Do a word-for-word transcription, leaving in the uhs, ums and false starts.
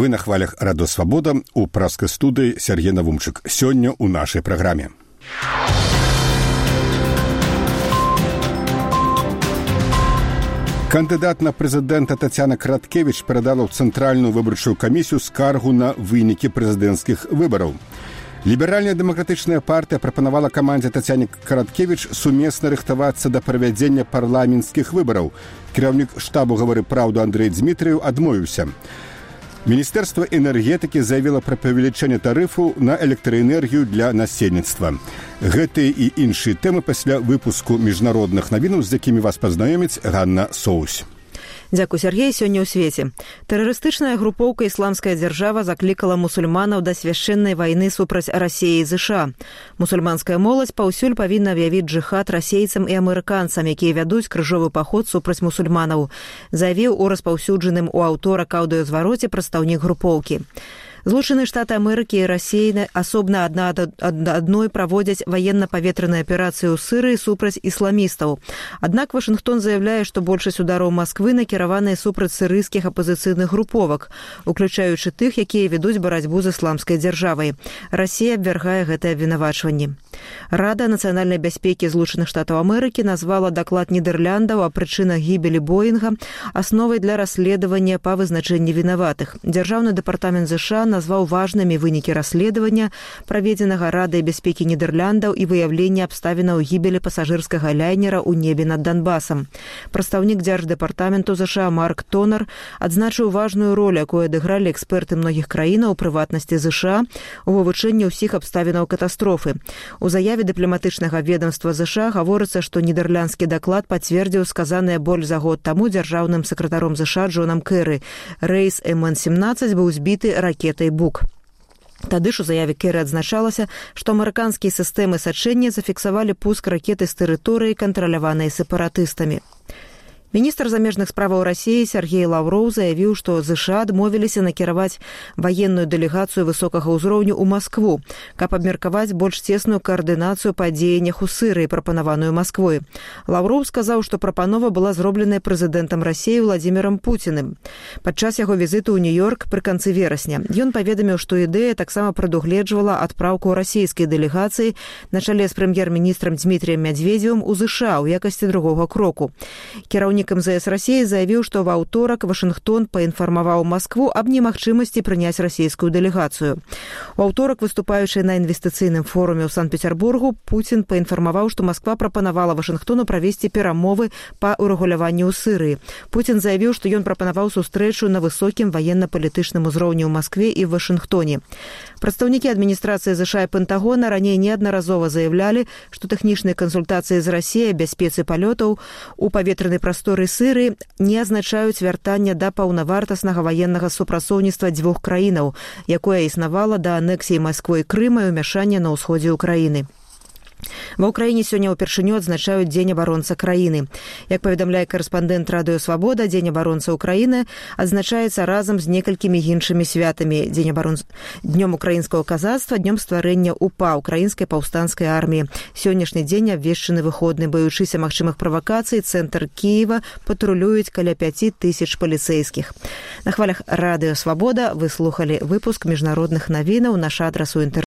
Вы на хвалях Радио Свобода, у праской студии Сергей Навумчик. Сегодня у нашей программе. Кандидат на прэзідэнта Тацяна Караткевіч перадала ў Цэнтральную выбарчую камісію скаргу на вынікі прэзідэнцкіх выбараў. Ліберальная дэмакратычная партыя прапанавала камандзе Тацяне Караткевіч сумесна рыхтавацца да правядзення парламенцкіх выбараў. Кіраўнік штабу «Гавары праўду» Андрэй Дзмітрыеў адмовіўся. Міністэрства энергетыкі заявіла пра павелічэнне тарыфу на электраэнергію для насельніцтва. Гэтыя і іншыя тэмы пасля выпуску міжнародных навінаў, з якімі вас пазнаёміць Ганна Соусь. Дзякуй, Сергей. Сёння ў свеце. Тэрарыстычная групоўка «Ісламская дзяржава» заклікала мусульманаў да свяшчэннай вайны супраць Расіі і ЗША. Мусульманская моладзь паўсюль павінна аб'явіць джыхад расейцам і амерыканцам, якія вядуць крыжовы паход супраць мусульманаў, заявіў у распаўсюджаным у аўторак аўдыёзвароце прадстаўнік групоўкі. Злучаныя Штаты Амерыкі і Расіі асобна адна ад адной праводзяць ваенна-паветраныя аперацыі ў Сырыі супраць ісламістаў. Аднак Вашынгтон заяўляе, што большасць удараў Масквы накіраваныя супраць сірыйскіх апазіцыйных груповак, уключаючы тых, якія ведуць барацьбу з ісламскай дзяржавай. Расія абвяргае гэтае абвінавачванне. Рада нацыянальнай бяспекі Злучаных Штатаў Амерыкі назвала даклад Нідэрляндаў о прычынах гібелі Боінга асновай для расследавання па вызначэнні вінаватых. Дзяржаўны дэпартамент ЗША назваў важнымі вынікі расследавання, праведзенага Радай бяспекі Нідэрляндаў і выяўлення абставінаў гібелі пасажырскага лайнера ў небе над Донбасам. Прадстаўнік дзярждэпартаменту ЗША Марк Тонер адзначыў важную ролю, якую адыгралі эксперты многіх краінаў, у прыватнасці ЗША, у вывучэнні ўсіх абставінаў катастрофы. У заяве дыпламатычнага ведомства ЗША гаворыцца, што нідерландскі даклад пацвердзіў сказанае больш за год таму дзяржаўным сакратаром ЗША Джонам Кэры. Рэйс эм эн семнаццаць быў збіты ракетай «Бук». Тады ж у заяве Кэры адзначалася, што амерыканскія сістэмы сачэння зафіксавалі пуск ракеты з тэрыторыі, кантраляванай сепаратыстамі. Міністр замежных справаў Расіі Сергей Лаўроў заявіў, што ЗША адмовіліся накіраваць ваенную дэлегацыю высокага ўзроўню ў Маскву, каб абмеркаваць больш цесную каардынацыю па дзеяннях у Сырыі, прапанаваную Масквой. Лаўроў сказаў, што прапанова была зробленая прэзідэнтам Расіі Владзімірам Пуціным падчас яго візіту ў Нью-Йорк пры канцы верасня. Ён паведаміў, што ідэя таксама прадугледжвала адпраўку расійскай дэлегацыі на чале з прэм'ер-міністрам Дзмітрыем Мядзведзевым у ЗША ў якасці другога кроку. Кіраўнік эм зэ эс Расіі заявіў, што ва ўторак Вашынгтон паінфармаваў Маскву аб немагчымасці прыняць расійскую дэлегацыю. У аўторак, выступаючы на інвестыцыйным форуме ў Санкт-Петербургу, Пуцін паінфармаваў, што Масква прапанавала Вашынгтону правесці перамовы па урэгуляванню ў Сырыі. Пуцін заявіў, што ён прапанаваў сустрэчу на высокім ваенна-палітычным узроўні ў Маскве і в Вашынгтоне. Прадстаўнікі адміністрацыі ЗША і Пентагона раней неаднаразова заявлялі, што тэхнічныя кансультацыі з Расіяй аб бяспецы палётаў у паветранай прасторы Сырыі не азначаюць вяртання да паўнавартаснага ваеннага супрацоўніцтва дзвюх краінаў, якое існавала да анексіі Масквой Крыма і ўмяшання на ўсходзе ўкраіны. Ва ўкраіне сёння ўпершыню адзначаюць Дзень абаронца краіны. Як паведамляе карэспандэнт Радыё Свабода, Дзень абаронца ўкраіны адзначаецца разам з некалькімі іншымі святамі: Дзень абаронца, днём украінскага казацтва, днём стварэння УПА, украінскай паўстанцкай арміі. Сённяшні дзень абвешчаны выходны. Баючыся магчымых правакацый, цэнтр Кіева патрулююць каля пяці тысяч паліцэйскіх. На хвалях Радыё Свабода вы слухалі выпуск міжнародных навінаў. Наш адрас у інтэрнэце